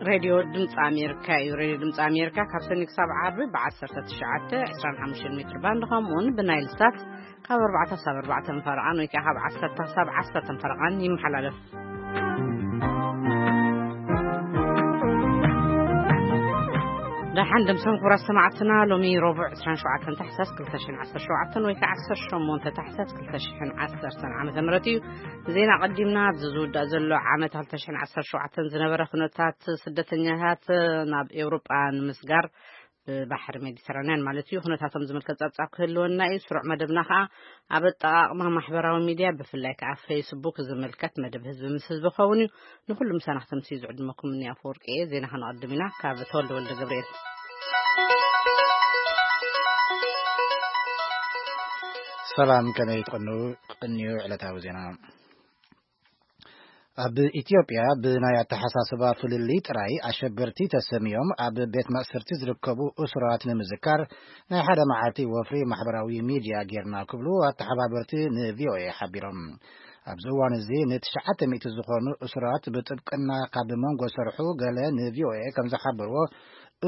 ሬድዮ ድምፂ ኣሜሪካ እዩ። ሬድዮ ድምፂ ኣሜሪካ ካብ ሰኒ ክሳብ ዓርቢ ብ19፣ 25 ሜትር ባንድ፣ ከምኡውን ብናይል ሳት ካብ ኣርባዕተ ክሳብ ኣርባዕተ ፈረቓን ወይ ከዓ ካብ ዓሰርተ ክሳብ ዓሰርተ ፈረቓን ይመሓላለፍ። ደሓን ደምሰን ክቡራት ሰማዕትና፣ ሎሚ ረቡዕ ዕስራን ሸውዓተን ታሕሳስ ክልተ ሽሕን ዓሰርተ ሸውዓተን ወይ ከዓ ዓሰርተ ሸሞንተ ታሕሳስ ክልተ ሽሕን ዓሰርተን ዓመተ ምህረት እዩ። ዜና ቀዲምና። ኣብዚ ዝውዳእ ዘሎ ዓመት ክልተ ሽሕን ዓሰርተ ሸውዓተን ዝነበረ ኩነታት ስደተኛታት ናብ ኤውሮጳ ንምስጋር ብባሕሪ ሜዲተራንያን ማለት እዩ፣ ኩነታቶም ዝምልከት ጸብጻብ ክህልወና እዩ። ስሩዕ መደብና ከኣ ኣብ ኣጠቓቕማ ማሕበራዊ ሚድያ፣ ብፍላይ ከኣ ፌስቡክ ዝምልከት መደብ ህዝቢ ምስ ህዝቢ ክኸውን እዩ። ንኹሉ ምሳና ክተምስዩ ዝዕድመኩም እኒ ኣፈወርቂ እየ። ዜና ከነቐድም ኢና። ካብ ተወልደ ወልደ ገብርኤል። ሰላም፣ ከመይ ትቕንዩ? ቅንዩ ዕለታዊ ዜና። ኣብ ኢትዮጵያ ብናይ ኣተሓሳስባ ፍልልይ ጥራይ ኣሸበርቲ ተሰምዮም ኣብ ቤት ማእሰርቲ ዝርከቡ እሱራት ንምዝካር ናይ ሓደ መዓልቲ ወፍሪ ማሕበራዊ ሚድያ ጌርና ክብሉ ኣተሓባበርቲ ንቪኦኤ ሓቢሮም። ኣብዚ እዋን እዚ ንትሽዓተ ሚእቲ ዝኾኑ እሱራት ብጥብቅና ካብ መንጎ ሰርሑ ገለ ንቪኦኤ ከም ዝሓበርዎ፣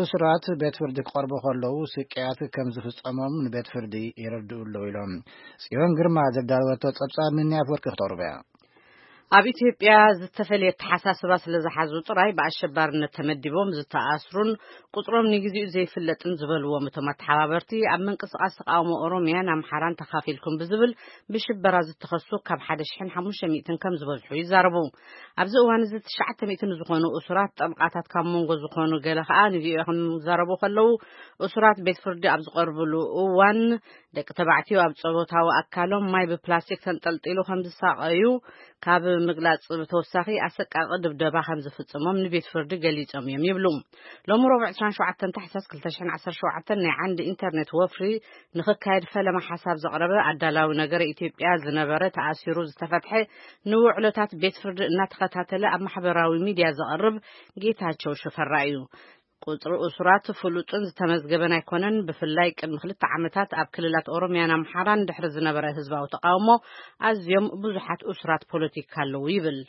እሱራት ቤት ፍርዲ ክቐርቡ ከለዉ ስቅያት ከም ዝፍጸሞም ንቤት ፍርዲ የረድኡ ኣለዉ ኢሎም። ጽዮን ግርማ ዘዳለወቶ ጸብጻብ ምንያ ኣፈወርቂ ክተቕርቦ እያ። ኣብ ኢትዮጵያ ዝተፈልየ ኣተሓሳስባ ስለ ዝሓዙ ጥራይ ብኣሸባርነት ተመዲቦም ዝተኣስሩን ቁጽሮም ንግዜኡ ዘይፍለጥን ዝበልዎም እቶም ኣተሓባበርቲ፣ ኣብ ምንቅስቓስ ተቃውሞ ኦሮሚያን ኣምሓራን ተኻፊልኩም ብዝብል ብሽበራ ዝተኸሱ ካብ ሓደ ሽሕን ሓሙሽተ ሚእትን ከም ዝበዝሑ ይዛረቡ። ኣብዚ እዋን እዚ ትሽዓተ ሚእቲ ንዝኾኑ እሱራት ጠብቓታት ካብ መንጎ ዝኾኑ ገለ ከኣ ንቪኦኤ ከም ዝዛረቡ ከለዉ፣ እሱራት ቤት ፍርዲ ኣብ ዝቐርብሉ እዋን ደቂ ተባዕትዮ ኣብ ጾታዊ ኣካሎም ማይ ብፕላስቲክ ተንጠልጢሉ ከም ዝሳቐዩ ካብ ምግላጽ ብተወሳኺ ኣሰቃቂ ድብደባ ከም ዝፍጽሞም ንቤት ፍርዲ ገሊጾም እዮም ይብሉ። ሎሚ ረቡዕ ዕስራን ሸውዓተን ታሕሳስ ክልተ ሽሕን ዓሰርተ ሸውዓተን ናይ ዓንዲ ኢንተርኔት ወፍሪ ንኽካየድ ፈለማ ሓሳብ ዘቕረበ ኣዳላዊ ነገረ ኢትዮጵያ ዝነበረ ተኣሲሩ ዝተፈትሐ ንውዕሎታት ቤት ፍርዲ እናተኸታተለ ኣብ ማሕበራዊ ሚድያ ዘቕርብ ጌታቸው ሽፈራ እዩ። ቁጽሪ እሱራት ፍሉጥን ዝተመዝገበን ኣይኮነን። ብፍላይ ቅድሚ ክልተ ዓመታት ኣብ ክልላት ኦሮሚያን ኣምሓራን ድሕሪ ዝነበረ ህዝባዊ ተቃውሞ ኣዝዮም ብዙሓት እሱራት ፖለቲካ ኣለዉ ይብል።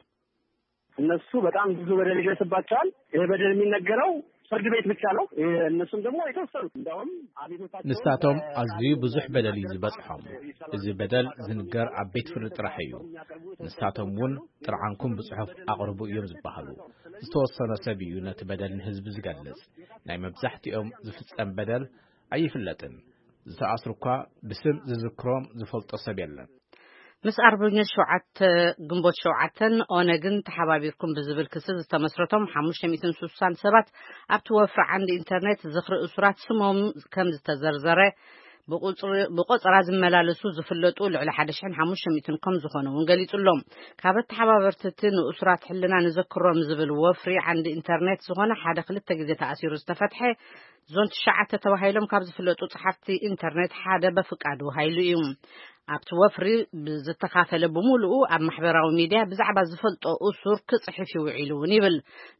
እነሱ በጣም ብዙ በደል ይደርስባቸዋል። ይሄ በደል የሚነገረው ፍርድ ቤት ብቻ ነው። እነሱም ደግሞ የተወሰኑት እንደውም አቤቱታቸውን ንሳቶም ኣዝዩ ብዙሕ በደል እዩ ዝበጽሖም። እዚ በደል ዝንገር ኣብ ቤት ፍርዲ ጥራሕ እዩ። ንሳቶም እውን ጥርዓንኩም ብጽሑፍ ኣቕርቡ እዮም ዝበሃሉ። ዝተወሰነ ሰብ እዩ ነቲ በደል ንህዝቢ ዝገልጽ። ናይ መብዛሕትኦም ዝፍጸም በደል ኣይፍለጥን። ዝተኣስሩ እኳ ብስም ዝዝክሮም ዝፈልጦ ሰብ የለን። ምስ ኣርበኞች ሸውዓተ፣ ግንቦት ሸውዓተን ኦነግን ተሓባቢርኩም ብዝብል ክሲ ዝተመስረቶም ሓሙሽተ ሚእትን ስሳን ሰባት ኣብቲ ወፍሪ ዓንዲ ኢንተርኔት ዝኽሪ እሱራት ስሞም ከም ዝተዘርዘረ፣ ብቑጽሪ-፣ ብቆጸራ ዝመላለሱ ዝፍለጡ ልዕሊ ሓደ ሽሕን ሓሙሽተ ሚእትን ከም ዝኾኑ እውን ገሊጹ ኣሎ። ካብ ኣተሓባበርቲ እቲ ንእሱራት ሕልና ንዘክሮም ዝብል ወፍሪ ዓንዲ ኢንተርኔት ዝኾነ ሓደ ክልተ ግዜ ተኣሲሩ ዝተፈትሐ ዞን ትሽዓተ ተባሂሎም ካብ ዝፍለጡ ጸሓፍቲ ኢንተርኔት ሓደ በፍቃዱ ሃይሉ እዩ። ኣብቲ ወፍሪ ብዝተኻፈለ ብምሉኡ ኣብ ማሕበራዊ ሚድያ ብዛዕባ ዝፈልጦ እሱር ክጽሕፍ ይውዒሉ እውን ይብል።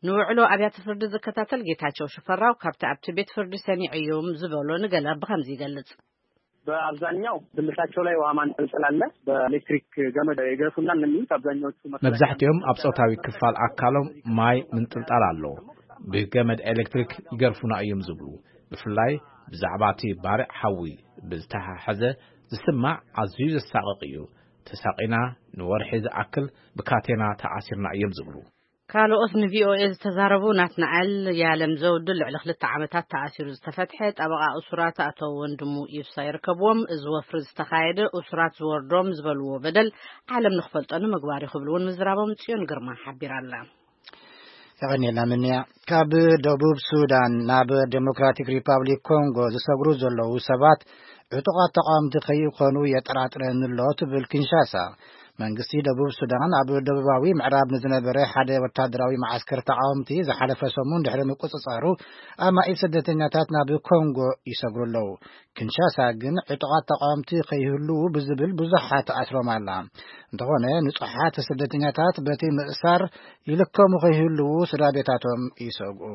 ንውዕሎ ኣብያተ ፍርዲ ዝከታተል ጌታቸው ሽፈራው ካብቲ ኣብቲ ቤት ፍርዲ ሰሚዐዮም ዝበሎ ንገለ ብኸምዚ ይገልጽ። በአብዛኛው ብልታቸው ላይ ውሃ ማንጠልጠል አለ። በኤሌክትሪክ ገመድ ይገርፉናል ነው የሚሉት አብዛኛዎቹ መከላከያ መብዛሕትኦም ኣብ ጾታዊ ክፋል ኣካሎም ማይ ምንጥልጣል ኣሎ። ብገመድ ኤሌክትሪክ ይገርፉና እዮም ዝብሉ። ብፍላይ ብዛዕባ እቲ ባርዕ ሓዊ ብዝተሓሓዘ ዝስማዕ ኣዝዩ ዘሳቕቕ እዩ። ተሳቒና ንወርሒ ዝኣክል ብካቴና ተኣሲርና እዮም ዝብሉ። ካልኦት ንቪኦኤ ዝተዛረቡ ናትናኤል ያለም ዘውዱ ልዕሊ ክልተ ዓመታት ተኣሲሩ ዝተፈትሐ ጠበቓ እሱራት ኣቶ ወንድሙ ኢብሳ ይርከብዎም። እዚ ወፍሪ ዝተኻየደ እሱራት ዝወርዶም ዝበልዎ በደል ዓለም ንኽፈልጦ ንምግባር እዩ ክብሉ እውን ምዝራቦም ጽዮን ግርማ ሓቢራ ኣላ። የቐንየልና ምንያ። ካብ ደቡብ ሱዳን ናብ ዴሞክራቲክ ሪፓብሊክ ኮንጎ ዝሰግሩ ዘለዉ ሰባት ዕጡቓት ተቃወምቲ ከይኾኑ የጠራጥረኒ ኣሎ ትብል ኪንሻሳ። መንግስቲ ደቡብ ሱዳን ኣብ ደቡባዊ ምዕራብ ንዝነበረ ሓደ ወታደራዊ መዓስከር ተቃወምቲ ዝሓለፈ ሰሙን ድሕሪ ምቁጽጻሩ ኣማኢት ስደተኛታት ናብ ኮንጎ ይሰግሩ ኣለዉ። ኪንሻሳ ግን ዕጡቓት ተቃወምቲ ከይህልዉ ብዝብል ብዙሓት ኣስሮም ኣላ። እንተኾነ ንጹሓት ስደተኛታት በቲ ምእሳር ይልከሙ ከይህልዉ ስድራ ቤታቶም ይሰግኡ።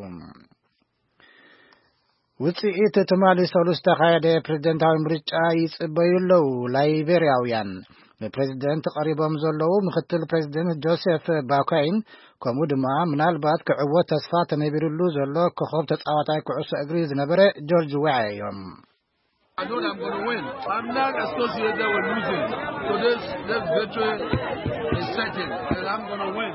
ውጽኢት ትማሊ ሰሉስ ዝተኻየደ ፕሬዝደንታዊ ምርጫ ይጽበዩ ኣለዉ ላይቤርያውያን። ንፕሬዚደንት ቀሪቦም ዘለዉ ምክትል ፕሬዚደንት ጆሴፍ ባኳይን፣ ከምኡ ድማ ምናልባት ክዕወት ተስፋ ተነቢሩሉ ዘሎ ኮኸብ ተጻዋታይ ኩዕሶ እግሪ ዝነበረ ጆርጅ ዌያ እዮም። I know I'm going to win. I'm not associated with losing. So this, this victory is certain that I'm going to win.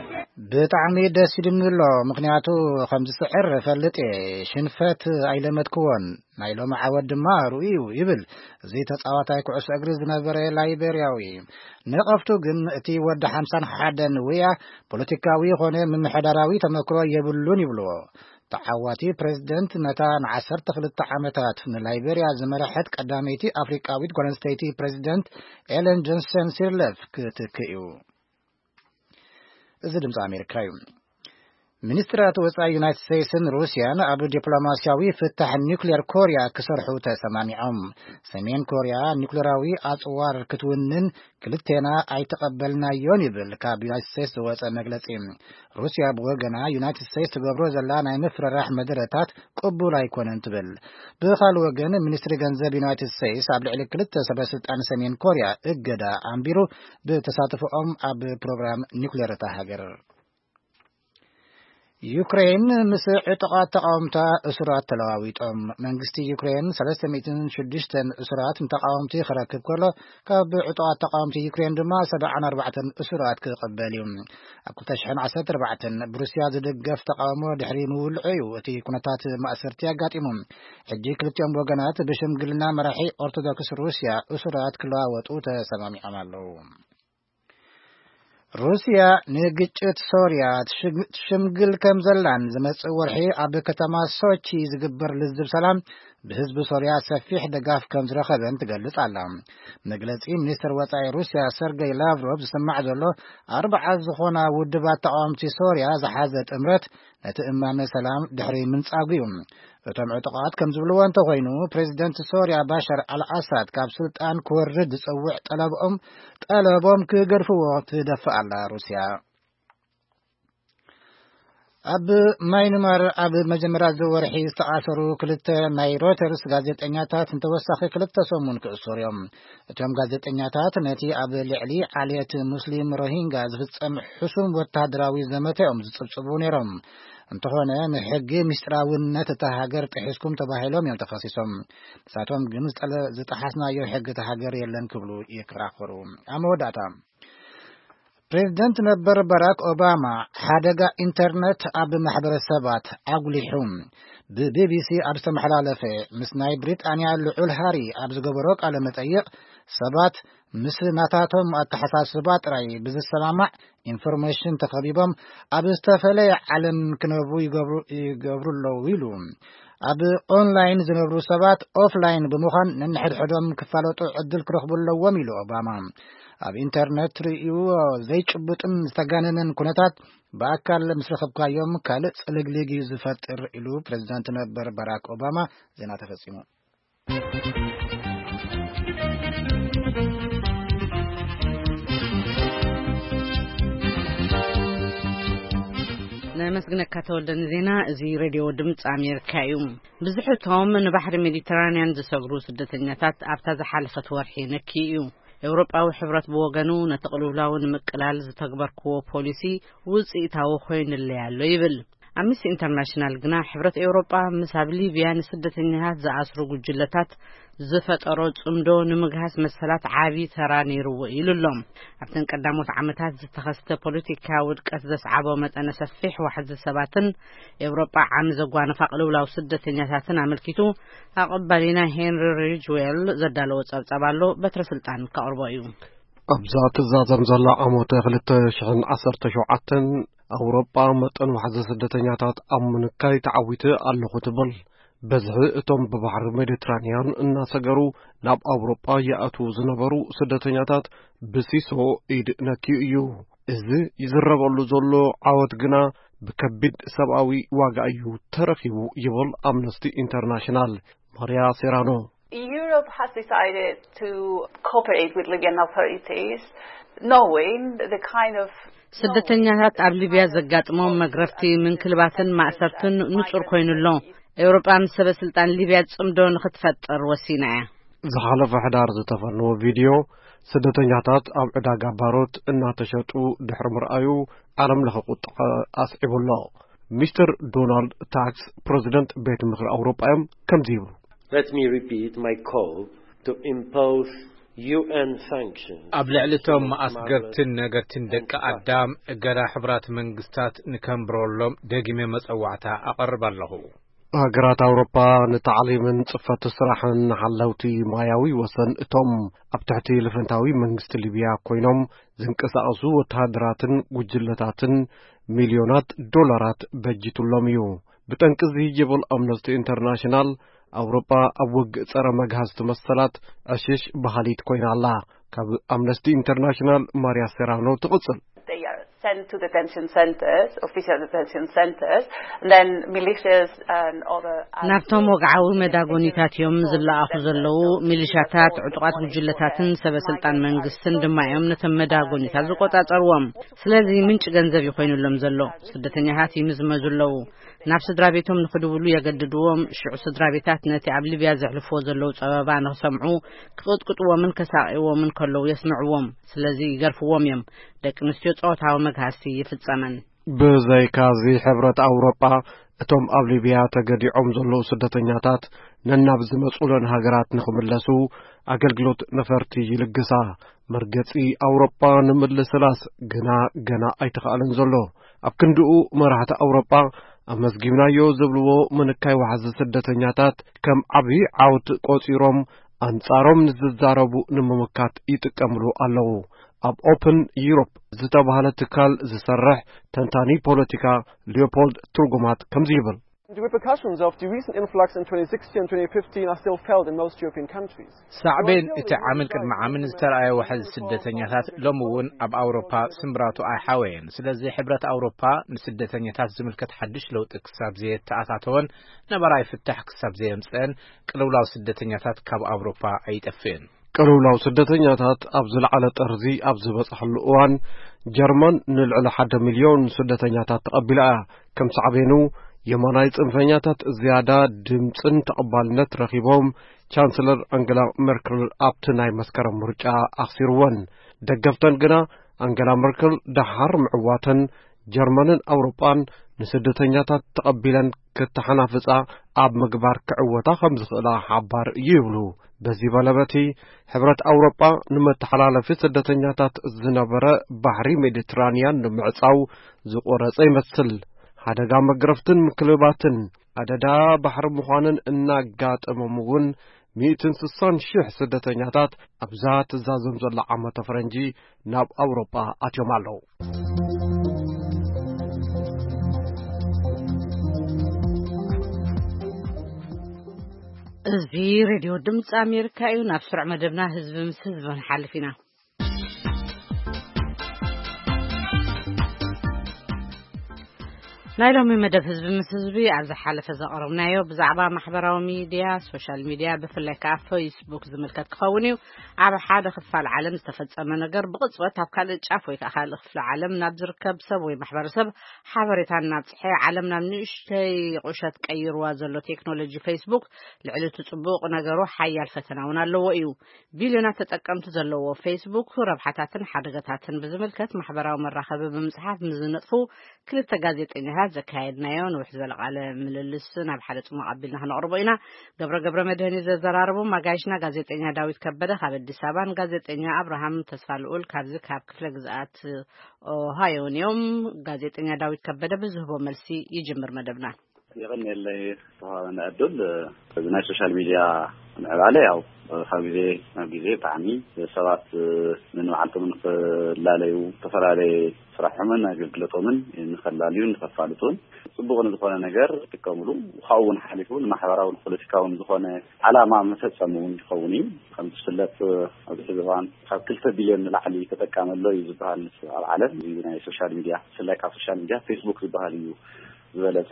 ብጣዕሚ ደስ ኢሉኒ ኣሎ፣ ምክንያቱ ከም ዝስዕር እፈልጥ እየ። ሽንፈት ኣይለመድክዎን፣ ናይ ሎሚ ዓወት ድማ ርኡይ እዩ ይብል እዚ ተጻዋታይ ኩዕሶ እግሪ ዝነበረ ላይቤርያዊ። ነቐፍቱ ግን እቲ ወዲ ሓምሳን ሓደን ውያ ፖለቲካዊ ኾነ ምምሕዳራዊ ተመክሮ የብሉን ይብልዎ። ተዓዋቲ ፕሬዝደንት ነታ ን12 ዓመታት ንላይቤርያ ዝመረሐት ቀዳመይቲ ኣፍሪቃዊት ጓል ኣንስተይቲ ፕሬዝደንት ኤለን ጆንሰን ሲርለፍ ክትክእ እዩ። እዚ ድምፂ ኣሜሪካ እዩ። ሚኒስትራት ወፃኢ ዩናይትድ ስቴትስን ሩስያን ኣብ ዲፕሎማስያዊ ፍታሕ ኒውክሌር ኮርያ ክሰርሑ ተሰማሚዖም። ሰሜን ኮርያ ኒውክሌራዊ ኣፅዋር ክትውንን ክልቴና ኣይተቐበልናዮን ይብል ካብ ዩናይትድ ስቴትስ ዝወፀ መግለፂ። ሩስያ ብወገና ዩናይትድ ስቴትስ ትገብሮ ዘላ ናይ ምፍርራሕ መደረታት ቅቡል ኣይኮነን ትብል። ብኻልእ ወገን ሚኒስትሪ ገንዘብ ዩናይትድ ስቴትስ ኣብ ልዕሊ ክልተ ሰበስልጣን ሰሜን ኮርያ እገዳ ኣንቢሩ ብተሳትፎኦም ኣብ ፕሮግራም ኒውክሌር እታ ሃገር። ዩክሬን ምስ ዕጡቓት ተቃወምታ እሱራት ተለዋዊጦም። መንግስቲ ዩክሬን ሰለስተ ሚእትን ሽዱሽተን እሱራት ንተቃወምቲ ክረክብ ከሎ፣ ካብ ዕጡቓት ተቃወምቲ ዩክሬን ድማ ሰብዓን ኣርባዕተን እሱራት ክቕበል እዩ። ኣብ ክልተ ሽሕን ዓሰርተ ኣርባዕተን ብሩስያ ዝድገፍ ተቃውሞ ድሕሪ ምውልዑ እዩ እቲ ኩነታት ማእሰርቲ ኣጋጢሙ። ሕጂ ክልቲኦም ወገናት ብሽምግልና መራሒ ኦርቶዶክስ ሩስያ እሱራት ክለዋወጡ ተሰማሚዖም ኣለዉ። ሩስያ ንግጭት ሶርያ ትሽግ-፣ ትሽምግል ከም ዘላን ዝመጽእ ወርሒ ኣብ ከተማ ሶቺ ዝግበር ልዝብ ሰላም ብህዝቢ ሶርያ ሰፊሕ ደጋፍ ከም ዝረኸበን ትገልጽ ኣላ። መግለጺ ሚኒስትር ወጻኢ ሩስያ ሰርገይ ላቭሮቭ ዝስማዕ ዘሎ፣ ኣርባዓ ዝኾና ውድባት ተቃወምቲ ሶርያ ዝሓዘ ጥምረት ነቲ እማመ ሰላም ድሕሪ ምንጻጉ እዩ። እቶም ዕጡቓት ከም ዝብልዎ እንተኾይኑ፣ ፕሬዚደንት ሶርያ ባሻር ኣልኣሳድ ካብ ስልጣን ክወርድ ዝጸውዕ ጠለብኦም፣ ጠለቦም ክገድፍዎ ትደፍእ ኣላ ሩስያ። ኣብ ማይንማር ኣብ መጀመርያ እዚ ወርሒ ዝተኣሰሩ ክልተ ናይ ሮይተርስ ጋዜጠኛታት ንተወሳኺ ክልተ ሰሙን ክእሰሩ እዮም። እቶም ጋዜጠኛታት ነቲ ኣብ ልዕሊ ዓልየት ሙስሊም ሮሂንጋ ዝፍጸም ሕሱም ወታደራዊ ዘመተ እዮም ዝጽብጽቡ ነይሮም። እንተኾነ፣ ንሕጊ ምስጢራውነት እታ ሃገር ጥሒስኩም ተባሂሎም እዮም ተኸሲሶም። ንሳቶም ግን ዝጠለ-፣ ዝጠሓስናዮ ሕጊ እታ ሃገር የለን ክብሉ ይከራኸሩ። ኣብ መወዳእታ፣ ፕሬዝደንት ነበር ባራክ ኦባማ፣ ሓደጋ ኢንተርነት ኣብ ማሕበረሰባት ኣጉሊሑ። ብቢቢሲ ኣብ ዝተመሓላለፈ፣ ምስ ናይ ብሪጣንያ ልዑል ሃሪ ኣብ ዝገበሮ ቃለ መጠይቕ፣ ሰባት ምስ ናታቶም ኣተሓሳስባ ጥራይ ብዝሰማማዕ ኢንፎርሜሽን ተኸቢቦም ኣብ ዝተፈለየ ዓለም ክነብሩ ይገብሩ፣ ይገብሩ ኣለዉ ኢሉ። ኣብ ኦንላይን ዝነብሩ ሰባት ኦፍላይን ብምዃን ነንሕድሕዶም ክፋለጡ ዕድል ክረኽቡ ኣለዎም ኢሉ ኦባማ። ኣብ ኢንተርነት ትርእይዎ ዘይጭቡጥን ዝተጋነነን ኩነታት ብኣካል ምስ ረኸብካዮም ካልእ ጽልግልግ እዩ ዝፈጥር ኢሉ ፕሬዝዳንት ነበር ባራክ ኦባማ። ዜና ተፈጺሙ። ነመስግነካ ተወልደ ንዜና። እዚ ሬድዮ ድምፂ ኣሜሪካ እዩ። ብዙሕቶም ንባሕሪ ሜዲተራንያን ዝሰግሩ ስደተኛታት ኣብታ ዝሓለፈት ወርሒ ነኪ እዩ። ኤውሮጳዊ ሕብረት ብወገኑ ነቲ ቅልውላው ንምቅላል ዝተግበርክዎ ፖሊሲ ውፅኢታዊ ኮይኑለይ ኣሎ ይብል። ኣምነስቲ ኢንተርናሽናል ግና ሕብረት ኤውሮጳ ምስ ኣብ ሊብያ ንስደተኛታት ዝኣስሩ ጉጅለታት ዝፈጠሮ ጽምዶ ንምግሃስ መሰላት ዓቢ ተራ ነይርዎ ኢሉ ኣሎ። ኣብተን ቀዳሞት ዓመታት ዝተኸስተ ፖለቲካ ውድቀት ዘስዓቦ መጠነ ሰፊሕ ዋሕዚ ሰባትን ኤውሮጳ ዓሚ ዘጓነፋ ቅልውላው ስደተኛታትን ኣመልኪቱ ኣቐባሊና ሄንሪ ሪጅዌል ዘዳለዎ ጸብጻብ ኣሎ። በትረ ስልጣን ከቕርቦ እዩ። ኣብዛ ትዛዘም ዘላ ዓመት ክልተ ሽሕን ዓሰርተ ሸውዓተን ኣውሮጳ መጠን ዋሕዚ ስደተኛታት ኣብ ምንካይ ተዓዊተ ኣለኹ ትብል። በዝሒ እቶም ብባሕሪ ሜዲትራንያን እናሰገሩ ናብ ኣውሮጳ ይኣትዉ ዝነበሩ ስደተኛታት ብሲሶ ኢድ ነክዩ እዩ። እዚ ይዝረበሉ ዘሎ ዓወት ግና ብከቢድ ሰብኣዊ ዋጋ እዩ ተረኺቡ ይብል ኣምነስቲ ኢንተርናሽናል። ማርያ ሴራኖ። Europe has decided to cooperate with Libyan authorities, knowing the kind of ስደተኛታት ኣብ ሊብያ ዘጋጥሞም መግረፍቲ፣ ምንክልባትን ማእሰርትን ንጹር ኮይኑ ኣሎ። ኤውሮጳ ምስ ሰበ ስልጣን ሊብያ ጽምዶ ንኽትፈጥር ወሲና እያ። ዝሓለፈ ሕዳር ዝተፈነወ ቪድዮ ስደተኛታት ኣብ ዕዳጋ ባሮት እናተሸጡ ድሕሪ ምርኣዩ ዓለም ለኸ ቁጥዐ ኣስዒቡ ኣሎ። ሚስተር ዶናልድ ታክስ፣ ፕረዚደንት ቤት ምኽሪ ኣውሮጳ እዮም፣ ከምዚ ይብሉ። Let me repeat my call to impose U N sanctions ኣብ ልዕሊ እቶም ኣስገርትን ነገርትን ደቂ ኣዳም እገዳ ሕቡራት መንግስታት ንከንብረሎም ደጊመ መጸዋዕታ ኣቐርብ ኣለኹ። ሃገራት ኣውሮፓ ንታዕሊምን ጽፈት ስራሕን ንሓለውቲ ማያዊ ወሰን እቶም ኣብ ትሕቲ ልፈንታዊ መንግስቲ ሊብያ ኮይኖም ዝንቀሳቐሱ ወተሃደራትን ጉጅለታትን ሚልዮናት ዶላራት በጂቱሎም እዩ። ብጠንቂ እዚ ጀበል ኣምነስቲ ኢንተርናሽናል ኣውሮፓ ኣብ ውግእ ጸረ መግሃስቲ መሰላት ዕሽሽ በሃሊት ኮይና ኣላ። ካብ ኣምነስቲ ኢንተርናሽናል ማርያ ሴራኖ ትቕጽል። They are sent to detention centers, official detention centers, and then militias and other ናብቶም ወግዓዊ መዳጎኒታት እዮም ዝለኣኹ ዘለዉ። ሚሊሻታት፣ ዕጡቓት ጉጅለታትን ሰበ ስልጣን መንግስትን ድማ እዮም ነቶም መዳጎኒታት ዝቆጻጸርዎም። ስለዚ ምንጪ ገንዘብ ይኮይኑሎም ዘሎ። ስደተኛታት ይምዝመዙ ኣለዉ። ናብ ስድራ ቤቶም ንኽድውሉ የገድድዎም። ሽዑ ስድራ ቤታት ነቲ ኣብ ሊብያ ዘሕልፍዎ ዘለዉ ጸበባ ንኽሰምዑ ክቕጥቅጥዎምን ከሳቕይዎምን ከለዉ የስምዕዎም። ስለዚ ይገርፍዎም እዮም። ደቂ ኣንስትዮ ጾታዊ መግሃስቲ ይፍጸመን። ብዘይካዚ ሕብረት ኣውሮጳ እቶም ኣብ ሊብያ ተገዲዖም ዘለዉ ስደተኛታት ነናብ ዝመጹለን ሃገራት ንኽምለሱ ኣገልግሎት ነፈርቲ ይልግሳ። መርገጺ ኣውሮጳ ንምልስላስ ግና ገና ኣይተኻእለን ዘሎ። ኣብ ክንድኡ መራሕቲ ኣውሮጳ ኣመዝጊብናዮ ዝብልዎ ምንካይ ዋሕዚ ስደተኛታት ከም ዓብዪ ዓወት ቆጺሮም ኣንጻሮም ንዝዛረቡ ንምምካት ይጥቀምሉ ኣለዉ። ኣብ ኦፕን ዩሮፕ ዝተባህለ ትካል ዝሰርሕ ተንታኒ ፖለቲካ ሊዮፖልድ ትርጉማት ከምዚ ይብል። The repercussions of the recent influx in twenty sixteen and twenty fifteen are still felt in most European countries. ሳዕቤን እቲ ዓምን ቅድሚ ዓምን ዝተረኣየ ዋሕዚ ስደተኛታት ሎም እውን ኣብ ኣውሮፓ ስምብራቱ ኣይሓወየን። ስለዚ ሕብረት ኣውሮፓ ንስደተኛታት ዝምልከት ሓድሽ ለውጢ ክሳብ ዘየተኣታተወን ነባራዊ ፍታሕ ክሳብ ዘየምፀአን ቅልውላው ስደተኛታት ካብ ኣውሮፓ ኣይጠፍእን። ቅልውላው ስደተኛታት ኣብ ዝለዓለ ጠርዚ ኣብ ዝበፅሐሉ እዋን ጀርመን ንልዕሊ ሓደ ሚልዮን ስደተኛታት ተቐቢላ እያ። ከም ሳዕቤኑ የማናይ ፅንፈኛታት ዝያዳ ድምፅን ተቐባልነት ረኺቦም ቻንስለር ኣንገላ መርክል ኣብቲ ናይ መስከረም ምርጫ ኣኽሲርወን። ደገፍተን ግና ኣንገላ መርክል ደሓር ምዕዋተን ጀርመንን ኣውሮጳን ንስደተኛታት ተቐቢለን ክተሓናፍጻ ኣብ ምግባር ክዕወታ ከም ዝኽእላ ሓባር እዩ ይብሉ። በዚ በለበቲ ሕብረት ኣውሮጳ ንመተሓላለፊ ስደተኛታት ዝነበረ ባሕሪ ሜዲትራንያን ንምዕጻው ዝቆረጸ ይመስል። ሓደጋ መግረፍትን ምክልባትን ኣደዳ ባሕሪ ምዃንን እናጋጠሞም እውን ሚእትን ስሳን ሽሕ ስደተኛታት ኣብዛ ትዛዘም ዘላ ዓመተ ፈረንጂ ናብ ኣውሮጳ ኣትዮም ኣለዉ። እዚ ሬድዮ ድምፂ ኣሜሪካ እዩ። ናብ ስሩዕ መደብና ህዝቢ ምስ ህዝቢ ንሓልፍ ኢና። ናይ ሎሚ መደብ ህዝቢ ምስ ህዝቢ ኣብ ዝሓለፈ ዘቕረብናዮ ብዛዕባ ማሕበራዊ ሚድያ፣ ሶሻል ሚድያ፣ ብፍላይ ከኣ ፌስቡክ ዝምልከት ክኸውን እዩ። ኣብ ሓደ ክፋል ዓለም ዝተፈጸመ ነገር ብቕጽበት ኣብ ካልእ ጫፍ ወይ ከኣ ካልእ ክፍሊ ዓለም ናብ ዝርከብ ሰብ ወይ ማሕበረሰብ ሓበሬታ እናብጽሐ ዓለም ናብ ንእሽተይ ቁሸት ቀይርዋ ዘሎ ቴክኖሎጂ ፌስቡክ ልዕሊ እቲ ጽቡቕ ነገሩ ሓያል ፈተና እውን ኣለዎ እዩ። ቢልዮናት ተጠቀምቲ ዘለዎ ፌስቡክ ረብሓታትን ሓደጋታትን ብዝምልከት ማሕበራዊ መራኸቢ ብምጽሓፍ ምስ ዝነጥፉ ክልተ ጋዜጠኛታት ዘካየድናዮ ንውሕ ዝበለ ቃለ ምልልስ ናብ ሓደ ጽሙቕ ኣቢልና ክነቕርቦ ኢና። ገብረ ገብረ መድህን እዩ ዘዘራረቦም። ኣጋይሽና ጋዜጠኛ ዳዊት ከበደ ካብ ኣዲስ ኣበባን ጋዜጠኛ ኣብርሃም ተስፋ ልኡል ካብዚ ካብ ክፍለ ግዝኣት ኦሃዮን እዮም። ጋዜጠኛ ዳዊት ከበደ ብዝህቦ መልሲ ይጅምር መደብና። የቐንየለይ ዝተዋህበኒ ዕድል። እዚ ናይ ሶሻል ሚድያ ምዕባለ ያው ካብ ግዜ ናብ ግዜ ብጣዕሚ ሰባት ንንባዕልቶም ንክላለዩ ዝተፈላለየ ስራሖምን ኣገልግሎቶምን ንከላልዩን ንከፋልጡን ጽቡቕ ንዝኾነ ነገር ይጥቀምሉ። ካብኡ እውን ሓሊፉ ንማሕበራውን ፖለቲካውን ዝኾነ ዓላማ መፈጸሚ እውን ይኸውን እዩ። ከም ዝፍለጥ ኣብዚ ሕዚ እዋን ካብ ክልተ ቢልዮን ንላዕሊ ተጠቃሚ ኣሎ እዩ ዝበሃል ኣብ ዓለም። እዚ ናይ ሶሻል ሚድያ ብፍላይ ካብ ሶሻል ሚድያ ፌስቡክ ዝበሃል እዩ ዝበለጸ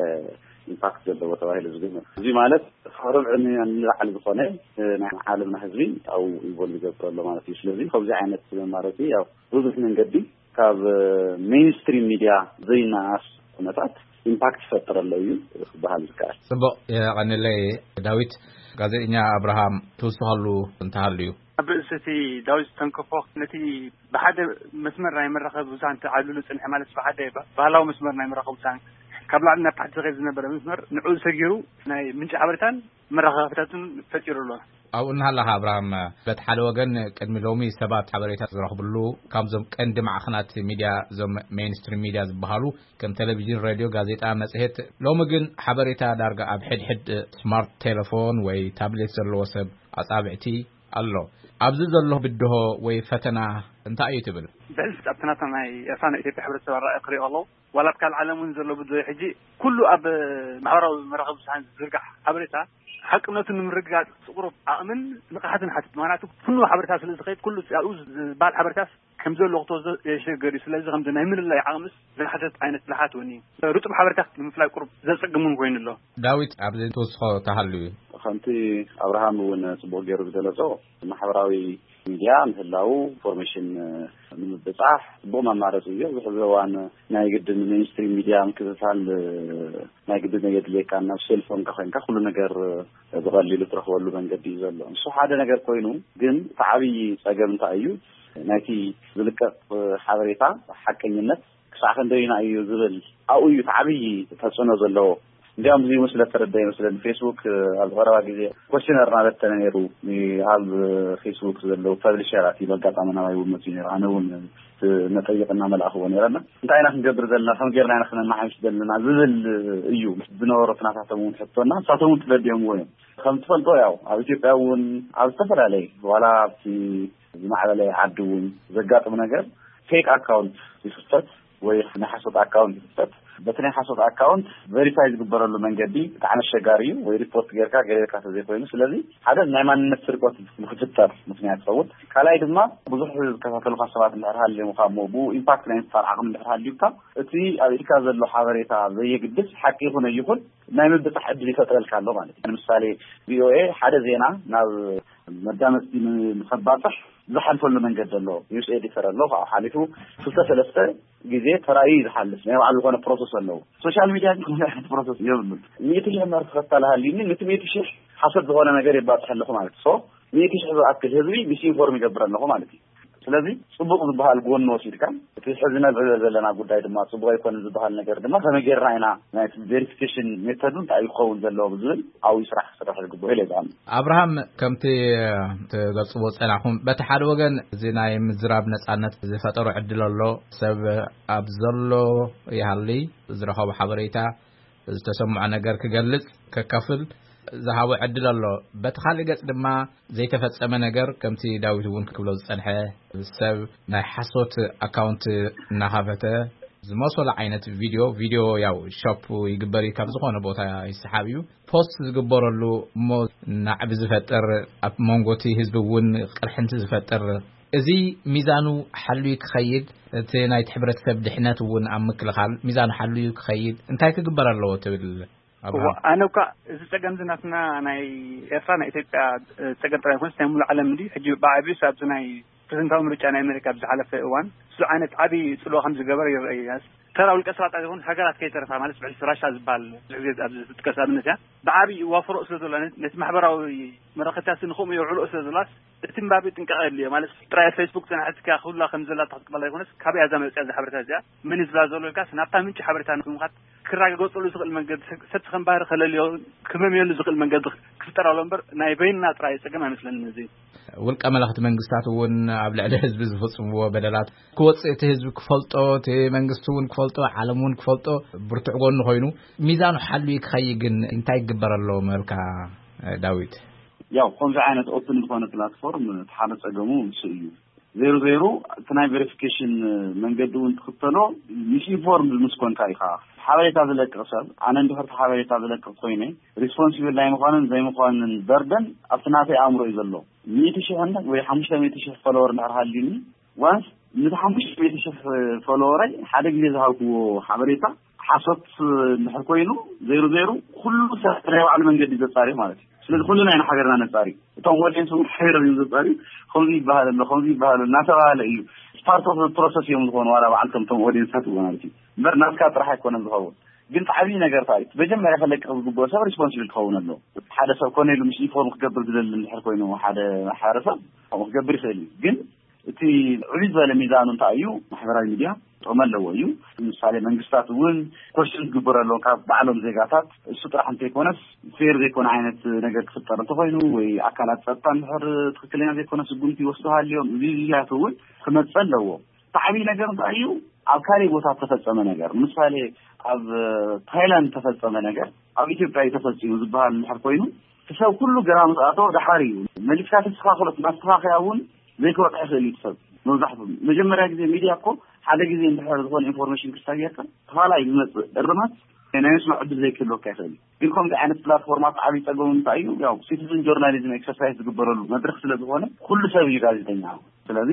ኢምፓክት ዘለዎ ተባሂሉ ዝግመት። እዚ ማለት ካብ ርብዒ ሚልዮን ንላዕሊ ዝኾነ ናይ ዓለምና ህዝቢ ኣብኡ ኢንቮልቭ ይገብር ኣሎ ማለት እዩ። ስለዚ ከምዚ ዓይነት መማረፂ ያው ብዙሕ መንገዲ ካብ ሜይንስትሪም ሚድያ ዘይነኣስ ኩነታት ኢምፓክት ይፈጥር ኣሎ እዩ ክበሃል ዝከኣል። ጽቡቕ፣ የቐንለይ ዳዊት። ጋዜጠኛ ኣብርሃም፣ ትውስኸሉ እንተሃልዩ? ኣብ ርእሲ እቲ ዳዊት ዝተንከፎ፣ ነቲ ብሓደ መስመር ናይ መራኸቢ ብዙሃን ተዓብልሉ ጽንሐ፣ ማለት ብሓደ ባህላዊ መስመር ናይ መራኸቢ ብዙሃን ካብ ላዕሊ ናብ ታሕቲ ዝኸይድ ዝነበረ መስመር፣ ንዕኡ ሰጊሩ ናይ ምንጪ ሓበሬታን መራኸብታትን ፈጢሩ ኣሎ። ኣብኡ እናሃለኻ ኣብርሃም፣ በቲ ሓደ ወገን ቅድሚ ሎሚ ሰባት ሓበሬታ ዝረኽብሉ ካብዞም ቀንዲ ማዕኸናት ሚድያ፣ እዞም ሜይንስትሪም ሚድያ ዝበሃሉ ከም ቴሌቪዥን፣ ሬድዮ፣ ጋዜጣ፣ መጽሔት፣ ሎሚ ግን ሓበሬታ ዳርጋ ኣብ ሕድሕድ ስማርት ቴሌፎን ወይ ታብሌት ዘለዎ ሰብ ኣጻብዕቲ ኣሎ። ኣብዚ ዘሎ ብድሆ ወይ ፈተና እንታይ እዩ ትብል? ብሕልፊ ኣብቲ ናታ ናይ ኤርትራ ናይ ኢትዮጵያ ሕብረተሰብ ኣረኣእያ ክሪኦ ኣለዉ። ዋላ ኣብ ካልእ ዓለም እውን ዘሎ ብድሆ ሕጂ ኩሉ ኣብ ማሕበራዊ መራኸቢ ብዙሃን ዝዝርጋሕ ሓበሬታ ሓቅነቱ ንምርግጋጽ ጽቕሩብ ዓቕምን ንቕሓትን ሓትት። ምኽንያቱ ኩሉ ሓበሬታ ስለ ዝኸይድ፣ ኩሉ ኣብኡ ዝበሃል ሓበሬታስ ከም ዘሎ ክትወስዶ የሸገር እዩ። ስለዚ ከምዚ ናይ ምልላይ ዓቕምስ ዝሓተት ዓይነት ብልሓት እውን እዩ። ርጡብ ሓበሬታ ንምፍላይ ቁሩብ ዘጸግም እውን ኮይኑ ኣሎ። ዳዊት፣ ኣብዚ ትውስኾ ተሃልዩ? ከምቲ ኣብርሃም እውን ጽቡቕ ገይሩ ዝገለጾ፣ ማሕበራዊ ሚድያ ምህላው ኢንፎርሜሽን ንምብጻሕ ጽቡቕ መማረጺ እዩ። ኣብዚ ሕዚ እዋን ናይ ግድን ሜይንስትሪም ሚድያ ምክትታል ናይ ግድን የድልየካ። ናብ ሴልፎንካ ኮይንካ ኩሉ ነገር ብቐሊሉ ትረኽበሉ መንገዲ እዩ ዘሎ። ንሱ ሓደ ነገር ኮይኑ፣ ግን እቲ ዓብዪ ጸገም እንታይ እዩ? ናይቲ ዝልቀቕ ሓበሬታ ሓቀኝነት ክሳዕ ክንደይና እዩ ዝብል ኣብኡ እዩ እቲ ዓብዪ ተጽዕኖ ዘለዎ። እንዲያውም እዚ ምስለ ተረዳ ይመስለኒ፣ ፌስቡክ ኣብ ዝቐረባ ግዜ ኮስቲነር እናበተነ ነይሩ። ኣብ ፌስቡክ ዘለዉ ፐብሊሸራት ኢሉ ኣጋጣሚ ናባይ እውን መፅኡ ነይሩ። ኣነ እውን መጠይቕ እናመላእኽዎ ነይረና። እንታይ ኢና ክንገብር ዘለና? ከም ጌርና ኢና ክነመሓይሽ ዘለና ዝብል እዩ ዝነበሮ። እቲ ናታቶም እውን ሕቶና ንሳቶም እውን ተረዲኦምዎ እዮም። ከም ትፈልጦ ያው ኣብ ኢትዮጵያ እውን ኣብ ዝተፈላለየ ዋላ ኣብቲ ዝማዕበለ ዓዲ እውን ዘጋጥም ነገር ፌክ ኣካውንት ይኽፈት ወይ ናይ ሓሶት ኣካውንት ይኽፈት። በቲ ናይ ሓሶት ኣካውንት ቬሪፋይ ዝግበረሉ መንገዲ ብጣዕሚ ኣሸጋሪ እዩ። ወይ ሪፖርት ጌርካ ገሌ ጌርካ ተዘይኮይኑ፣ ስለዚ ሓደ ናይ ማንነት ስርቆት ንክፍጠር ምክንያት ይኸውን። ካልኣይ ድማ ብዙሕ ዝከታተሉካ ሰባት እንድሕር ሃልዮም እሞ ብኡ ኢምፓክት ናይ ምፍጣር ዓቕሚ እንድሕር ሃልዩካ እቲ ኣብ ኢድካ ዘሎ ሓበሬታ ዘየግድስ ሓቂ ይኹን ኣይኹን ናይ ምብጻሕ ዕድል ይፈጥረልካ ኣሎ ማለት እዩ። ንምሳሌ ቪኦኤ ሓደ ዜና ናብ መዳመፅቲ ን-፣ ንኸባፅሕ ዝሓልፈሉ መንገዲ ኣሎ። ኒውስ ኤዲተር ኣሎ፣ ካብኡ ሓሊፉ ክልተ ሰለስተ ግዜ ተራእዩ እዩ ዝሓልፍ። ናይ ባዕሉ ዝኾነ ፕሮሰስ ኣለዎ። ሶሻል ሚድያ ግን ከምዚ ዓይነት ፕሮሰስ የብሉን። ሚእቲ ሽሕ እምበር ተኸታሊ ሃልዩኒ፣ ነቲ ሚእቲ ሽሕ ሓሶት ዝኾነ ነገር የባፅሕ ኣለኹ ማለት እዩ። ሶ ሚእቲ ሽሕ ዝኣክል ህዝቢ ሚስኢንፎርም ይገብር ኣለኹ ማለት እዩ። ስለዚ ጽቡቕ ዝበሃል ጎኒ ወሲድካ፣ እቲ ሕዚ ነብዕሎ ዘለና ጉዳይ ድማ ጽቡቕ ኣይኮነን ዝበሃል ነገር ድማ ከመይ ጌርና ኢና ናይቲ ቬሪፊኬሽን ሜተዱ እንታይ እዩ ክኸውን ዘለዎ ብዝብል ኣብኡ ስራሕ ክስራሕ ዝግብኦ ኢለ ይዝኣም። ኣብርሃም፣ ከምቲ ትገልጽዎ ጸናኹም፣ በቲ ሓደ ወገን እዚ ናይ ምዝራብ ነጻነት ዝፈጠሮ ዕድል ኣሎ። ሰብ ኣብ ዘሎ ይሃሊ ዝረኸቦ ሓበሬታ፣ ዝተሰምዖ ነገር ክገልጽ፣ ከካፍል ዝሃቦ ዕድል ኣሎ። በቲ ካልእ ገጽ ድማ ዘይተፈጸመ ነገር፣ ከምቲ ዳዊት እውን ክብሎ ዝጸንሐ፣ ሰብ ናይ ሓሶት ኣካውንት እናኸፈተ ዝመሰሎ ዓይነት ቪድዮ፣ ቪድዮ ያው ሾፕ ይግበር እዩ፣ ካብ ዝኾነ ቦታ ይሰሓብ እዩ፣ ፖስት ዝግበረሉ እሞ ናዕቢ ዝፈጥር፣ ኣብ መንጎ እቲ ህዝቢ እውን ቅርሕንቲ ዝፈጥር፣ እዚ ሚዛኑ ሓልዩ ክኸይድ፣ እቲ ናይቲ ሕብረተሰብ ድሕነት እውን ኣብ ምክልኻል ሚዛኑ ሓልዩ ክኸይድ እንታይ ክግበር ኣለዎ ትብል ኣብርሃም? እዋ፣ ኣነ እኳ እዚ ጸገም እዚ ናትና ናይ ኤርትራ፣ ናይ ኢትዮጵያ፣ እ፣ ጸገም ጥራይ ይኮንስ ናይ ሙሉእ ዓለም እንዲ። ሕጂ ብዓቢኡ ኣብዚ ናይ ፕሬዝደንታዊ ምርጫ ናይ ኣሜሪካ ኣብ ዝሓለፈ እዋን እሱ ዓይነት ዓቢ ጽልዋ ከም ዝገበረ ይረአ እዩ። ተራ ውልቀ ሰባት ኣይኮን፣ ሃገራት ከይተረፋ፣ ማለት ብሕልፊ ራሻ ዝበሃል ብዙሕ ግዜ ኣብዚ ዝጥቀስ ኣብነት እያ። ብዓቢ ይዋፍሮ ስለ ዘሎ፣ ነቲ ማሕበራዊ መራኸብታት ንኸምኡ የውዕልኦ ስለ ዘሎስ፣ እቲ ምባቢ ጥንቃቐ የድልዮ። ማለት ጥራይ ፌስቡክ ጽናሕትካ ኩላ ከም ዘላ ተኽትቅበላ ይኮነስ፣ ካበይ እያ እዛ መጽያ እዛ ሓበሬታ እዚኣ? መን እዩ ዝብላ ዘሎ ኢልካስ፣ ናብታ ምንጪ ሓበሬታ ንምኻድ ክረጋገጸሉ ዝኽእል መንገዲ፣ ሰብ ከም ባህሪ ከለልዮ፣ ክመምየሉ ዝኽእል መንገዲ ክፍጠር ኣሎ እምበር፣ ናይ በይንና ጥራይ ጸገም ኣይመስለንን እዚ። ውልቀ መለኽቲ መንግስታት እውን ኣብ ልዕሊ ህዝቢ ዝፍጽምዎ በደላት ክወጽእ፣ እቲ ህዝቢ ክፈልጦ፣ እቲ መንግስቲ እውን ክፈልጦ፣ ዓለም እውን ክፈልጦ ብርቱዕ ጎኑ ኮይኑ፣ ሚዛኑ ሓልዩ ክኸይድ ግን እንታይ ይግበር ኣሎ ምበልካ ዳዊት? ያው ከምዚ ዓይነት ኦፕን ዝኾነ ፕላትፎርም እቲ ሓደ ጸገሙ ንሱ እዩ። ዜሮ ዜሮ እቲ ናይ ቬሪፊኬሽን መንገዲ እውን ትኽተሎ፣ ሚስኢንፎርምድ ምስ ኮንካ ኢኻ። ሓበሬታ ዝለቅቕ ሰብ፣ ኣነ እንድሕር እቲ ሓበሬታ ዝለቅቕ ኮይነ፣ ሪስፖንሲብል ናይ ምዃንን ዘይምዃንን በርደን ኣብቲ ናተይ ኣእምሮ እዩ ዘሎ። ሚእቲ ሽሕ ወይ ሓሙሽተ ሚእቲ ሽሕ ፎሎወር እንድሕር ሃልዩኒ፣ ዋንስ ነቲ ሓሙሽተ ሚእቲ ሽሕ ፎሎወረይ ሓደ ግዜ ዝሃብክዎ ሓበሬታ ሓሶት እንድሕር ኮይኑ፣ ዜሮ ዜሮ፣ ኩሉ ሰብ ናይ ባዕሉ መንገዲ ዘጻሪ ማለት እዩ። ስለዚ ኩልና ኢና ሓቢርና ነጻሪ። እቶም ኦዲየንስ እውን ሓቢሮም እዮም ዘጻሪ። ከምዚ ይበሃል ኣሎ፣ ከምዚ ይበሃል ኣሎ እናተባሃለ እዩ። ፓርት ኦፍ ፕሮሰስ እዮም ዝኾኑ፣ ዋላ ባዕልቶም እቶም ኦዲየንሳት እውን ማለት እዩ። እምበር ናትካ ጥራሕ ኣይኮነን ዝኸውን። ግን እቲ ዓብዪ ነገር እንታይ እዩ? መጀመርያ ከለቅቕ ዝግብኦ ሰብ ሪስፖንሲብል ክኸውን ኣለዎ። ሓደ ሰብ ኮነ ኢሉ ምስ ኢንፎርም ክገብር ዝደሊ እንድሕር ኮይኑ ሓደ ማሕበረሰብ ከምኡ ክገብር ይኽእል እዩ። ግን እቲ ዕብይ ዝበለ ሚዛኑ እንታይ እዩ? ማሕበራዊ ሚድያ ጥቕሚ ኣለዎ እዩ። ምሳሌ መንግስታት እውን ኮሽን ዝግበረሎም ካብ ባዕሎም ዜጋታት እሱ ጥራሕ እንተይኮነስ ፌር ዘይኮነ ዓይነት ነገር ክፍጠር እንተኾይኑ ወይ ኣካላት ጸጥታ እንድሕር ትኽክለኛ ዘይኮነ ስጉምቲ ይወስዱ ሃልዮም እዚ እዚያት እውን ክመጽእ ኣለዎ። እቲ ዓብዪ ነገር እንታይ እዩ? ኣብ ካልእ ቦታ ዝተፈጸመ ነገር፣ ምሳሌ ኣብ ታይላንድ ዝተፈጸመ ነገር ኣብ ኢትዮጵያ እዩ ተፈጺሙ ዝበሃል እንድሕር ኮይኑ እቲ ሰብ ኩሉ ግራ ምስ ኣተወ ደሓር እዩ መሊስካ ተስተኻኽሎ። እቲ ማስተኻኸያ እውን ዘይክበቕዕ ይኽእል እዩ እቲ ሰብ። መብዛሕትኡ መጀመርያ ግዜ ሚድያ እኮ ሓደ ግዜ እንድሕር ዝኾነ ኢንፎርሜሽን ክሳየካ ተኻላይ ዝመፅእ እርማት ናይ ምስማዕ ዕድል ዘይክህልወካ ይኽእል እዩ። ግን ከምዚ ዓይነት ፕላትፎርማት ዓብዪ ፀገሙ እንታይ እዩ? ያው ሲቲዝን ጆርናሊዝም ኤክሰርሳይዝ ዝግበረሉ መድረክ ስለ ዝኾነ ኩሉ ሰብ እዩ ጋዜጠኛ። ስለዚ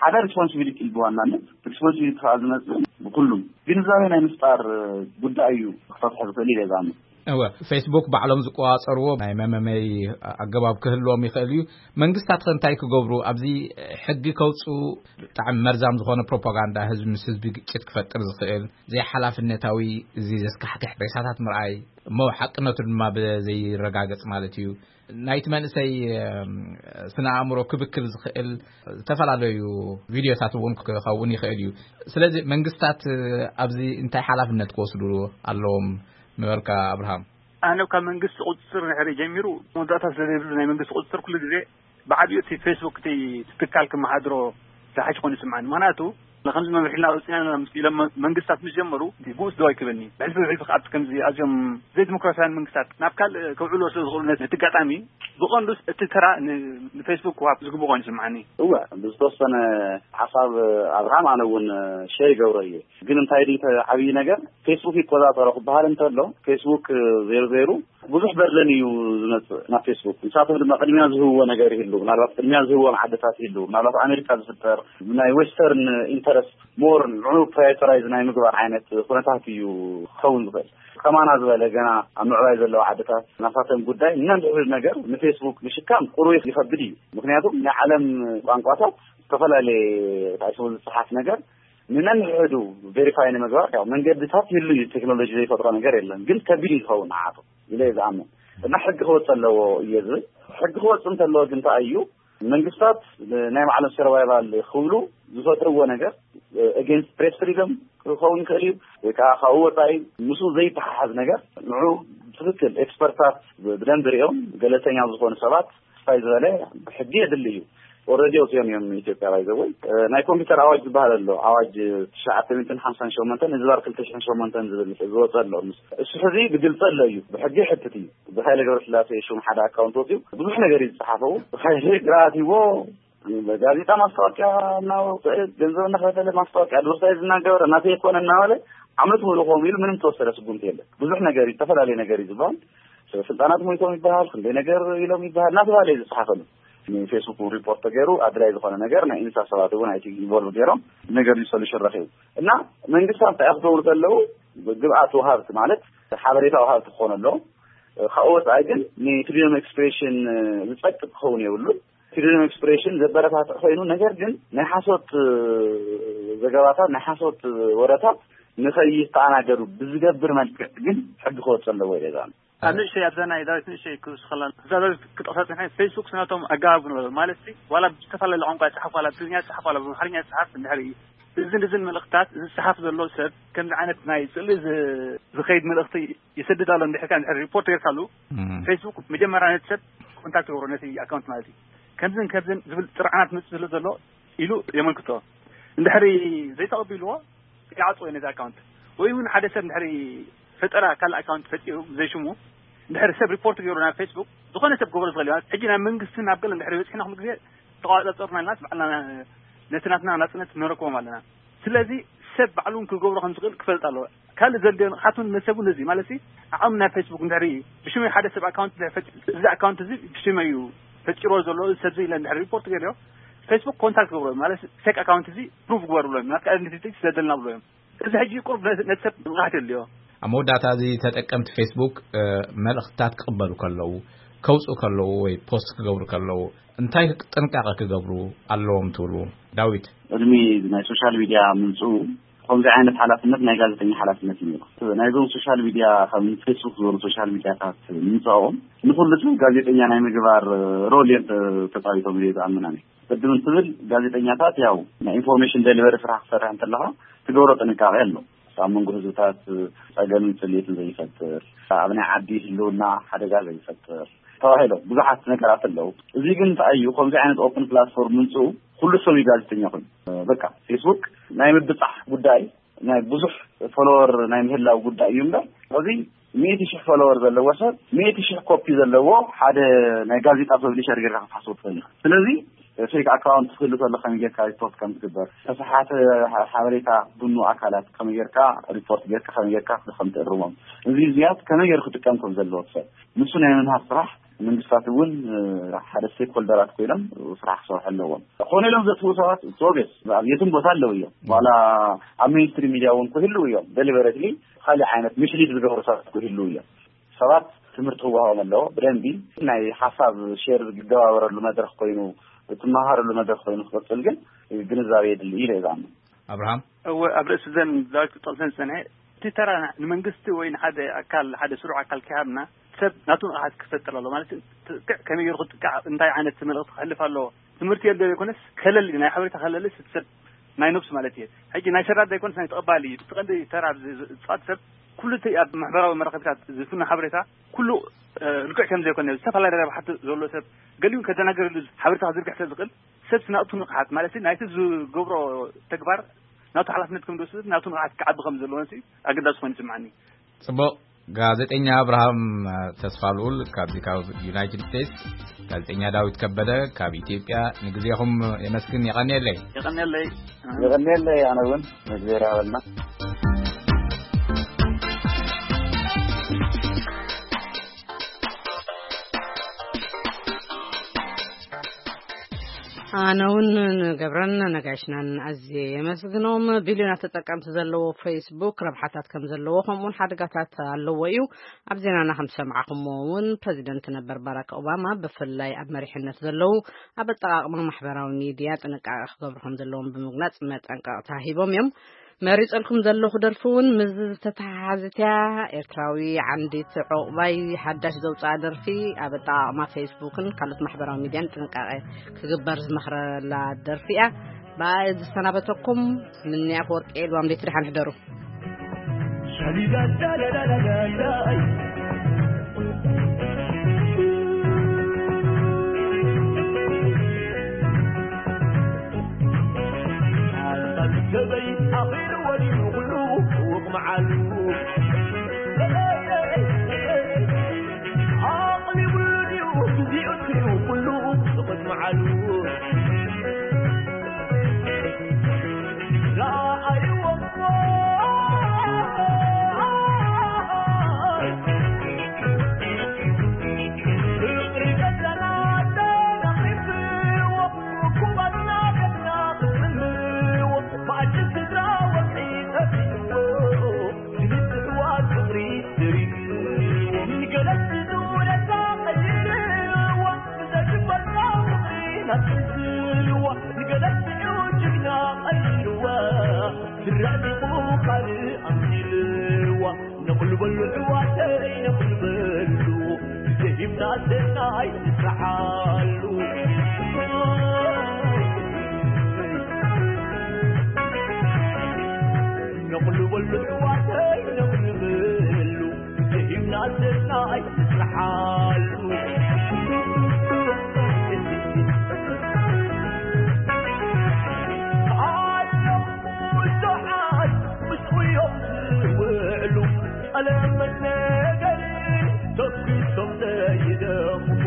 ሓደ ሪስፖንሲቢሊቲ እዩ ብዋናነት። ሪስፖንሲቢሊቲ ከዓ ዝመፅእ ብኩሉም ግንዛቤ ናይ ምፍጣር ጉዳይ እዩ ክፈትሖ ዝኽእል ኢለ ዝኣምን። እወ፣ ፌስቡክ ባዕሎም ዝቆፃፀርዎ ናይ መመመይ ኣገባብ ክህልዎም ይኽእል እዩ። መንግስታት ከ እንታይ ክገብሩ? ኣብዚ ሕጊ ከውፅኡ ብጣዕሚ መርዛም ዝኾነ ፕሮፓጋንዳ ህዝቢ ምስ ህዝቢ ግጭት ክፈጥር ዝኽእል ዘይሓላፍነታዊ፣ እዚ ዘስካሕክሕ ሬሳታት ምርኣይ እሞ ሓቅነቱ ድማ ብዘይረጋገፅ ማለት እዩ። ናይቲ መንእሰይ ስነ ኣእምሮ ክብክል ዝኽእል ዝተፈላለዩ ቪድዮታት እውን ክኸውን ይኽእል እዩ። ስለዚ መንግስታት ኣብዚ እንታይ ሓላፍነት ክወስዱ ኣለዎም? ነበርካ ኣብርሃም። ኣነ ካብ መንግስቲ ቁፅፅር ንሕሪ ጀሚሩ መወዳእታ ስለዘይብሉ ናይ መንግስቲ ቁፅፅር ኩሉ ግዜ ብዓብዩ እቲ ፌስቡክ እቲ ትካል ክመሓድሮ ዝሓሽ ኮይኑ ይስምዓኒ። ምክንያቱ ንከምዚ መምርሒልና ኣውፅና ምስ ኢሎም መንግስታት ምስ ጀመሩ ጉስ ዶ ኣይክበኒ ብሕልፊ ብሕልፊ ከኣት ከምዚ ኣዝዮም ዘይዲሞክራሲያን መንግስታት ናብ ካልእ ከውዕልዎ ስለ ዝኽእሉ ነቲ ኣጋጣሚ ብቐንዱስ እቲ ተራ ንፌስቡክ ክዋብ ዝግቡ ኮይኑ ይስምዓኒ። እወ፣ ብዝተወሰነ ሓሳብ ኣብርሃም ኣነ እውን ሸር ይገብሮ እየ። ግን እንታይ ድዩ ዓብዪ ነገር ፌስቡክ ይቆፃፀሮ ክበሃል እንተሎ ፌስቡክ ዜሮ ዜሮ ብዙሕ በርደን እዩ ዝመፅእ ናብ ፌስቡክ። ንሳቶም ድማ ቅድሚያ ዝህብዎ ነገር ይህሉ፣ ምናልባት ቅድሚያ ዝህብዎም ዓድታት ይህሉ፣ ምናልባት ኣሜሪካ ዝፍጠር ናይ ዌስተርን ኢንተረስት ሞር ንዑ ፕራዮሪታይዝ ናይ ምግባር ዓይነት ኩነታት እዩ ክኸውን ዝኽእል። ከማና ዝበለ ገና ኣብ ምዕባይ ዘለዋ ዓድታት ናሳተን ጉዳይ ነንሕድ ነገር ንፌስቡክ ምሽካም ቁሩብ ይኸብድ እዩ። ምክንያቱም ናይ ዓለም ቋንቋታት ዝተፈላለየ ታይሶ ዝፅሓፍ ነገር ንነንሕዱ ቬሪፋይ ንምግባር ያው መንገድታት ይህሉ እዩ። ቴክኖሎጂ ዘይፈጥሮ ነገር የለን። ግን ከቢድ እዩ ዝኸውን ንዓቱ ኢለ እየ ዝኣምን። እና ሕጊ ክወፅ ኣለዎ እየ ዝብል። ሕጊ ክወፅ እንተለዎ ግን እንታይ እዩ መንግስታት ናይ ባዕሎም ሰርቫይቫል ክብሉ ዝፈጥርዎ ነገር ኤጌንስት ፕሬስ ፍሪደም ክኸውን ይኽእል እዩ ወይ ከዓ ካብኡ ወፃኢ ምስ ዘይተሓሓዝ ነገር ንዑ ትክክል ኤክስፐርታት ብደንብ ሪኦም ገለልተኛ ዝኾኑ ሰባት ስፋይ ዝበለ ሕጊ የድሊ እዩ። ኦረዲ ኣውፅኦም እዮም ኢትዮጵያ ባይዘወይ ናይ ኮምፒውተር ኣዋጅ ዝበሃል ኣሎ። ኣዋጅ ትሽዓተ ሚእትን ሓምሳን ሸሞንተን ህዝባር ክልተ ሽሕን ሸሞንተን ዝብል ዝወፀ ኣሎ። እሱ ሕዚ ብግልፂ ኣሎ እዩ። ብሕጊ ይሕትት እዩ። ብሃይለ ገብረስላሴ ሽም ሓደ ኣካውንት ወፂኡ ብዙሕ ነገር እዩ ዝፀሓፈው። ብሃይለ ግርኣት ይዎ ጋዜጣ ማስታወቂያ እናወፀ ገንዘብ እናኸፈለ ማስታወቂያ ኣድቨርታይዝ እናገበረ ናተይ የኮነ እናበለ ዓመት ሙሉ ከምኡ ኢሉ ምንም ተወሰደ ስጉምቲ የለን። ብዙሕ ነገር እዩ፣ ዝተፈላለዩ ነገር እዩ ዝበሃል። ስልጣናት ሞይቶም ይበሃል፣ ክንደይ ነገር ኢሎም ይበሃል እናተባለ እዩ ዝፀሓፈሉ። ንፌስቡክ ሪፖርት ተገይሩ ኣድላይ ዝኾነ ነገር ናይ ኢንሳ ሰባት እውን ኣይቲ ኢንቮልቭ ገይሮም ነገር እዩ ሰሉሽን ረኺቡ እና መንግስታት እንታይ ክገብሩ ከለዉ ግብኣት ወሃብቲ ማለት ሓበሬታ ወሃብቲ ክኾኑ ኣለዎም። ካብኡ ወፃኢ ግን ንፍሪደም ኤክስፕሬሽን ዝፀቅጥ ክኸውን የብሉን። ፍሪደም ኤክስፕሬሽን ዘበረታትዕ ኮይኑ ነገር ግን ናይ ሓሶት ዘገባታት ናይ ሓሶት ወረታት ንኸይተኣናገዱ ብዝገብር መልክዕ ግን ሕጊ ክወፅ ኣለዎ ኢለ ዝኣምን። ኣብ ንእሽተይ ኣብዛ ናይ ዳዊት ንእሽተይ ክውስኸላ እዛ ዳዊት ክጠቕሳ ፅንሐ ፌስቡክ ስናቶም ኣገባብ ንበሎ ማለት ሲ ዋላ ብዝተፈላለየ ቋንቋ ይፅሓፍ ዋላ ብትግርኛ ይፅሓፍ ዋላ ብኣምሓርኛ ይፅሓፍ እንድሕር እዩ እዝን እዝን መልእኽትታት ዝፅሓፍ ዘሎ ሰብ ከምዚ ዓይነት ናይ ስእሊ ዝኸይድ መልእኽቲ ይሰድድ ኣሎ እንድሕር ካ እንድሕር ሪፖርት ገይርካሉ ፌስቡክ መጀመርያ ነቲ ሰብ ኮንታክት ይገብሮ ነቲ ኣካውንት ማለት እዩ ከምዝን ከምዝን ዝብል ጥርዓናት መፅእ ስለ ዘሎ ኢሉ የመልክቶ እንድሕሪ ዘይተቐቢልዎ ይዓፅዎ ነዚ ኣካውንት ወይ እውን ሓደ ሰብ እንድሕሪ ፈጠራ ካልእ ኣካውንት ፈጢሩ ብዘይ ሽሙ እንድሕሪ ሰብ ሪፖርት ገይሩ ናብ ፌስቡክ ዝኾነ ሰብ ክገብሮ ዝኽእል እዩ ሕጂ ናብ መንግስቲ ናብ ገለ እንድሕሪ በፂሕና ኩሉ ግዜ ተቋፃፀርና ኢልና ባዕልና ነቲ ናትና ናፅነት ንረክቦም ኣለና ስለዚ ሰብ ባዕሉ ክገብሮ ከም ዝኽእል ክፈልጥ ኣለዎ ካልእ ዘድልዮ ንዓቱ ነሰቡ ነዚ ማለት ዓቕሚ ናይ ፌስቡክ እንድሕሪ ብሽመይ ሓደ ሰብ ኣካውንት እዚ ኣካውንት እዚ ብሽመይ እዩ ፈጢሮ ዘሎ እዚ ሰብዚ ኢለ እንድሕሪ ሪፖርት ገይርዮ ፌስቡክ ኮንታክት ገብሮ ማለት ፌክ ኣካውንት እዚ ፕሩቭ ግበሩ ብሎ ናትካ ኣይደንቲቲ ስለደልና ብሎ እዮም እዚ ሕጂ ቁሩብ ነቲ ሰብ ንቕሓት የድልዮ ኣብ መወዳእታ እዚ ተጠቀምቲ ፌስቡክ መልእኽትታት ክቕበሉ ከለዉ ከውፅኡ ከለዉ ወይ ፖስት ክገብሩ ከለዉ እንታይ ጥንቃቐ ክገብሩ ኣለዎም ትብሉ ዳዊት ቅድሚ ናይ ሶሻል ሚድያ ምምፅኡ ከምዚ ዓይነት ሓላፍነት ናይ ጋዜጠኛ ሓላፍነት እዩ ነይሩ። ናይዞም ሶሻል ሚድያ፣ ከም ፌስቡክ ዝበሉ ሶሻል ሚድያታት ምምፃኦም ንኩሉ ሰብ ጋዜጠኛ ናይ ምግባር ሮል እዮም ተ- ተፃዊቶም ኢለ ዝኣምን ኣነ። ቅድም እንትብል ጋዜጠኛታት ያው ናይ ኢንፎርሜሽን ደሊቨሪ ስራሕ ክሰርሕ እንተለካ ትገብሮ ጥንቃቄ ኣሎ። ኣብ መንጎ ህዝብታት ጸገምን ጽልኢትን ዘይፈጥር፣ ኣብ ናይ ዓዲ ህልውና ሓደጋ ዘይፈጥር ተባሂሎም ብዙሓት ነገራት ኣለዉ። እዚ ግን እንታይ እዩ? ከምዚ ዓይነት ኦፕን ፕላትፎርም ምምፅኡ ኩሉ ሰብ እዩ ጋዜጠኛ ኮይኑ። በቃ ፌስቡክ ናይ ምብጻሕ ጉዳይ፣ ናይ ብዙሕ ፎሎወር ናይ ምህላው ጉዳይ እዩ እምበር፣ እዚ ሚእቲ ሺሕ ፎሎወር ዘለዎ ሰብ ሚእቲ ሺሕ ኮፒ ዘለዎ ሓደ ናይ ጋዜጣ ፐብሊሸር ጌርካ ክትሓስቦ ትኽእል ኢኻ። ስለዚ ፌክ ኣካውንት ክህሉ ከሎ ከመይ ጌርካ ሪፖርት ከም ትግበር፣ ተሰሓተ ሓበሬታ ዝብኑ ኣካላት ከመይ ጌርካ ሪፖርት ጌርካ ከመይ ጌርካ ከም ትእርሞም፣ እዚ እዚያት ከመይ ጌሩ ክጥቀም ከም ዘለዎ ሰብ ንሱ ናይ ምምሃር ስራሕ መንግስታት እውን ሓደ ስቴክ ሆልደራት ኮይኖም ስራሕ ክሰርሑ ኣለዎም። ኮነ ኢሎም ዘጥፍኡ ሰባት ሶቤስ ኣብ የትም ቦታ ኣለዉ እዮም። ዋላ ኣብ ሜንስትሪም ሚድያ እውን ክህልው እዮም። ደሊበረትሊ ካልእ ዓይነት ሚስሊድ ዝገብሩ ሰባት ክህልው እዮም። ሰባት ትምህርቲ ክወሃቦም ኣለዎ። ብደንቢ ናይ ሓሳብ ሼር ዝገባበረሉ መድረኽ ኮይኑ፣ እትመሃረሉ መድረኽ ኮይኑ ክቕፅል ግን ግንዛቤ የድሊ ኢለ እየ ዝኣምን። ኣብርሃም? እወ፣ ኣብ ርእሲ ዘን ዳዊት ክጠቕሰን ዝጸንሐ፣ እቲ ተራ ንመንግስቲ ወይ ንሓደ ኣካል፣ ሓደ ስሩዕ ኣካል ከይሃብና፣ ሰብ ናቱ ንቕሓት ክፈጥር ኣለዎ። ማለት፣ ጥቅዕ ከመይ ገይሩ ክጥቃዕ፣ እንታይ ዓይነት መልእኽቲ ክሕልፍ ኣለዎ? ትምህርቲ የለ ዘይኮነስ፣ ከለል፣ ናይ ሓበሬታ ከለልስ፣ እቲ ሰብ ናይ ነብሱ ማለት እየ። ሕጂ ናይ ሰራድ ዘይኮነስ ናይ ተቐባሊ እዩ። እቲ ቀንዲ ተራ ዝ-፣ ዝ-፣ ዝጻወት ሰብ ኩሉ እቲ ኣብ ማሕበራዊ መራኸቢታት ዝፍኖ ሓበሬታ ኩሉ፣ እ፣ ርቱዕ ከም ዘይኮነ፣ ዝተፈላለየ ረብሓ ዘሎ ሰብ፣ ገሊኡ ከደናገረሉ ሓበሬታ ክዝርግሕ ስለ ዝኽእል፣ ሰብ ናቱ ንቕሓት ማለት ናይቲ ዝገብሮ ተግባር ናቱ ሓላፍነት ከም ዝወስድ፣ ናቱ ንቕሓት ክዓቢ ከም ዘለዎ ኣገዳሲ ኮይኑ ይስምዓኒ። ጽቡቕ። ጋዜጠኛ ኣብርሃም ተስፋልኡል ካብዚ ካብ ዩናይትድ ስቴትስ፣ ጋዜጠኛ ዳዊት ከበደ ካብ ኢትዮጵያ፣ ንግዜኹም የመስግን። የቐንየለይ። የቐንየለይ። የቐንየለይ። ኣነ እውን ንእግዜር ያበልና። ኣነ እውን ንገብረን ነጋሽናን ኣዝየ የመስግኖም። ቢልዮናት ተጠቀምቲ ዘለዎ ፌስቡክ ረብሓታት ከም ዘለዎ፣ ከምኡውን ሓደጋታት ኣለዎ እዩ። ኣብ ዜናና ከም ዝሰማዕኹምዎ እውን ፕረዚደንት ነበር ባራክ ኦባማ ብፍላይ ኣብ መሪሕነት ዘለዉ ኣብ ኣጠቓቕማ ማሕበራዊ ሚድያ ጥንቃቐ ክገብሩ ከም ዘለዎም ብምግላጽ መጠንቀቕታ ሂቦም እዮም። መሪጸልኩም ዘለኹ ደርፊ እውን ምስ ዝተተሓሓዘት እያ። ኤርትራዊ ዓንዲት ዑቕባይ ሓዳሽ ዘውፅኣ ደርፊ ኣብ ኣጠቓቕማ ፌስቡክን ካልኦት ማሕበራዊ ሚድያን ጥንቃቐ ክግበር ዝመኽረላ ደርፊ እያ። ብኣይ ዝሰናበተኩም ምንያ ኣፈወርቂ እየ። ልዋም ለይቲ ደሓን ሕደሩ። ሰበይ ኣኺሉ ወዲኑ ኩሉ ውቕ መዓሉ። ኣቕሊቡሉ ድዩ ግዚኡ ትሪኡ ኩሉ ጽቕት መዓሉ። ረኣይዎ እሞ ፍቕሪ ገዛና ተናቒፍዎ፣ ኩባትና ቤትና ክስምዎ፣ መኣዲ ስድራ ወግዒ ጠፊእዎ፣ ዝምስዋ ፍቕሪ ስሪዎ፣ ንገለጽ ዝውለታ ቀይርዎ፣ ብዘይግበራ ፍቕሪ ናብ ቅንዝልዎ፣ ንገለጽ ጅግና ቀይርዎ፣ ስራዚቑ ካልእ ኣምሲልዎ። ነቕሉ በሉ ኣሕዋተይ፣ ነቕሉ በሉ፣ ዘይብና ሰናይ ንስርሓሉ። ነቕሉ በሉ ኣሕዋተይ፣ ነቕሉ በሉ፣ ዘይብና ሰናይ ንስርሓሉ። ኣለዉ ብዙሓት ምስኡ እዮም ዝውዕሉ፣ ጠለመት ነገር ተኲሶም ዘይደኽሙ፣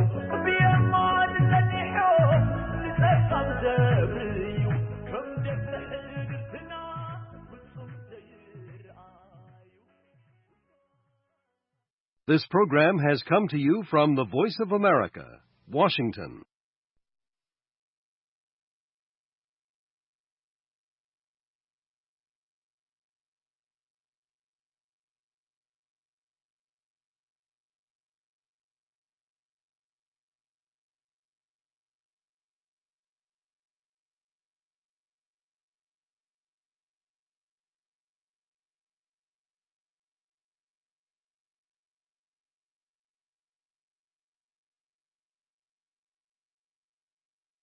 ብየማን ነዲሖም ንጸጋም ዘብርዩ፣ ከም ደብረ ሕድርትና ፍጹም ዘይረኣዩ። This program has come to you from the Voice of America, Washington.